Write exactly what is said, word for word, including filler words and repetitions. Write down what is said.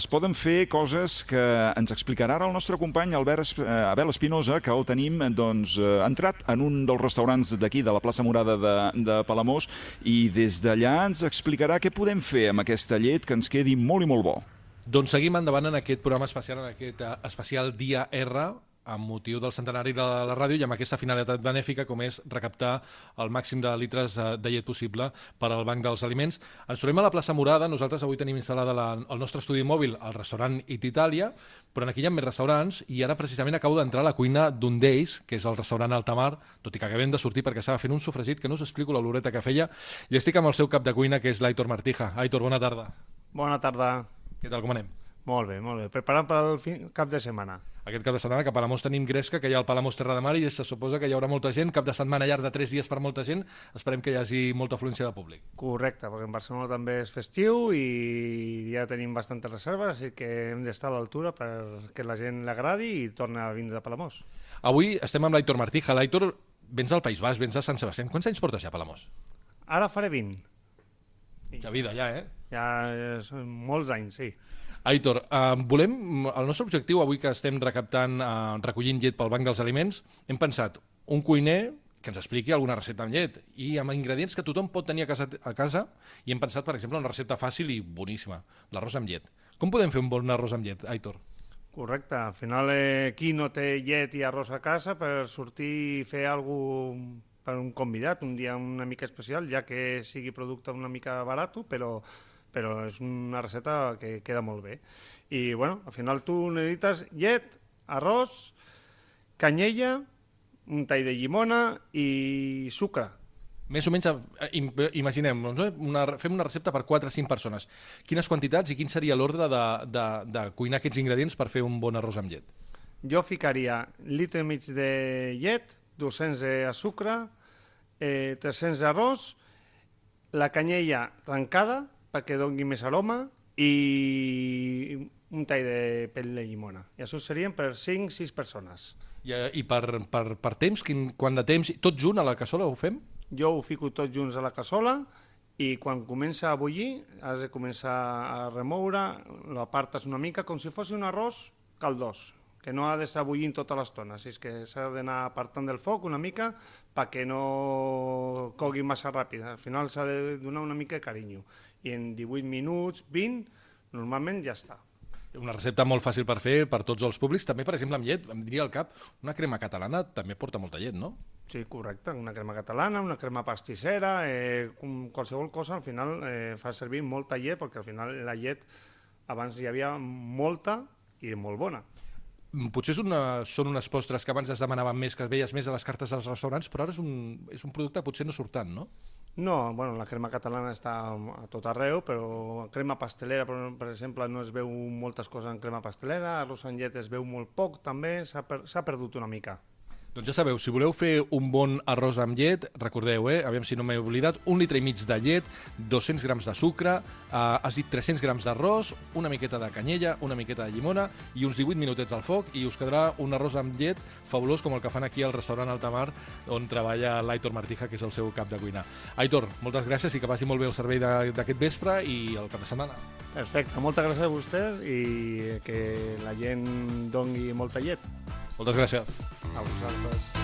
Es poden fer coses que ens explicarà ara el nostre company Albert, Abel Espinosa, que el tenim doncs, entrat en un dels restaurants d'aquí, de la plaça Morada de, de Palamós, i des d'allà ens explicarà què podem fer amb aquesta llet que ens quedi molt i molt bo. Doncs seguim endavant en aquest programa especial, en aquest especial Dia R, amb motiu del centenari de la ràdio i amb aquesta finalitat benèfica com és recaptar el màxim de litres de llet possible per al Banc dels Aliments. Ens trobem a la plaça Morada, nosaltres avui tenim instal·lada la, el nostre estudi mòbil al restaurant It Italia, però aquí hi ha més restaurants i ara precisament acabo d'entrar a la cuina d'un d'ells, que és el restaurant Altamar, tot i que acabem de sortir perquè estava fent un sofregit que no us explico l'oloreta que feia, i estic amb el seu cap de cuina, que és l'Aitor Martija. Aitor, bona tarda. Bona tarda. Què tal, com anem? Molt bé, molt bé. Preparant per al fin, cap de setmana. Aquest cap de setmana, que a Palamós tenim Gresca, que hi ha el Palamós Terra de Mar i se suposa que hi haurà molta gent, cap de setmana llarg de tres dies per molta gent, esperem que hi hagi molta afluència de públic. Correcte, perquè en Barcelona també és festiu i ja tenim bastantes reserves, així que hem d'estar a l'altura perquè la gent l'agradi i torni a vindre a Palamós. Avui estem amb l'Aitor Martija. L'Aitor, vens del País Basc, vens de Sant Sebastià. Quants anys portes ja a Palamós? Ara faré vint. Ja vida, ja, eh? Ja són molts anys, sí. Aitor, eh, volem, el nostre objectiu avui que estem recaptant, eh, recollint llet pel Banc dels Aliments, hem pensat un cuiner que ens expliqui alguna recepta amb llet i amb ingredients que tothom pot tenir a casa, a casa i hem pensat, per exemple, una recepta fàcil i boníssima, l'arròs amb llet. Com podem fer un bon arròs amb llet, Aitor? Correcte, al final eh, qui no té llet i arròs a casa per sortir i fer alguna cosa per un convidat, un dia una mica especial, ja que sigui producte una mica barat, però però és una recepta que queda molt bé. I, bueno, al final tu necessites llet, arròs, canyella, un tall de llimona i sucre. Més o menys, imaginem, una, fem una recepta per quatre o cinc persones. Quines quantitats i quin seria l'ordre de, de, de cuinar aquests ingredients per fer un bon arròs amb llet? Jo ficaria litre i mig de llet, dos-cents de sucre, eh, tres-cents d'arròs, la canyella tancada, perquè doni més aroma, i un tall de pell de llimona. I això serien per cinc o sis persones. I, i per, per, per temps? Quin, quant de temps? Tot junt a la cassola ho fem? Jo ho fico tots junts a la cassola i quan comença a bullir has de començar a remoure, l'apartes una mica com si fos un arròs caldós, que no ha d'estar bullint tota l'estona, així que s'ha d'anar apartant del foc una mica perquè no cogui massa ràpid. Al final s'ha de donar una mica de carinyo. I en divuit minuts, vint, normalment ja està. Una recepta molt fàcil per fer per tots els públics. També, per exemple, amb llet, em diria al cap, una crema catalana també porta molta llet, no? Sí, correcte. Una crema catalana, una crema pastissera, eh, qualsevol cosa, al final eh, fa servir molta llet, perquè al final la llet abans hi havia molta i molt bona. Potser és una, són unes postres que abans es demanaven més, que veies més a les cartes dels restaurants, però ara és un, és un producte que potser no surt tant, no? No, bueno, la crema catalana està a tot arreu, però crema pastelera, per, per exemple, no es veu moltes coses en crema pastelera, arròs amb llet es veu molt poc, també s'ha per, s'ha perdut una mica. Doncs ja sabeu, si voleu fer un bon arròs amb llet, recordeu, eh, aviam si no m'he oblidat, un litre i mig de llet, dos-cents grams de sucre, eh, has dit tres-cents grams d'arròs, una miqueta de canyella, una miqueta de llimona i uns divuit minutets al foc i us quedarà un arròs amb llet fabulós com el que fan aquí al restaurant Altamar on treballa l'Aitor Martija, que és el seu cap de cuina. Aitor, moltes gràcies i que vagi molt bé el servei d'aquest vespre i el cap de setmana. Perfecte, moltes gràcies a vostès i que la gent doni molta llet. Moltes gràcies. A vosaltres.